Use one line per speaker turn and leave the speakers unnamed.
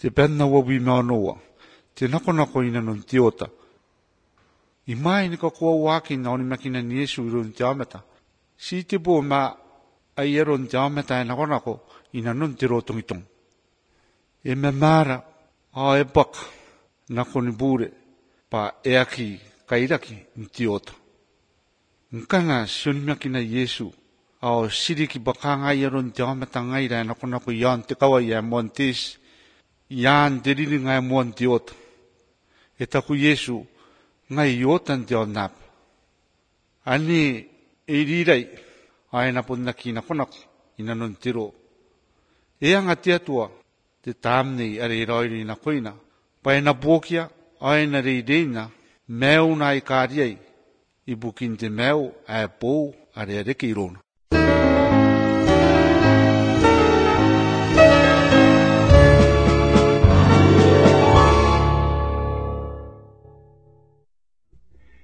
te penna wawi maanoa, te nako ina non tiota. I mai ni ka kua waki na oni makina ni Yesu irun te ameta. Si te bo ma ai eron te ameta e nako ina non te rotongitong. E me mara a e baka nako ni bure pa e aki kairaki ni tiota. Nkanga sioni makina Yesu ao siriki baka ngai eron te ameta ngai ra nako ian te kawa ia montes ian te riri ngai mon tiota. E taku Yesu ngai iotan te onap. Ani e rirai ai na ponnaki nako ina non tiro. E anga te atua te tamnei are roiri na koina. Pai na bokia ai na reina meu na i kariai i bukin te meu a pou are reke irona.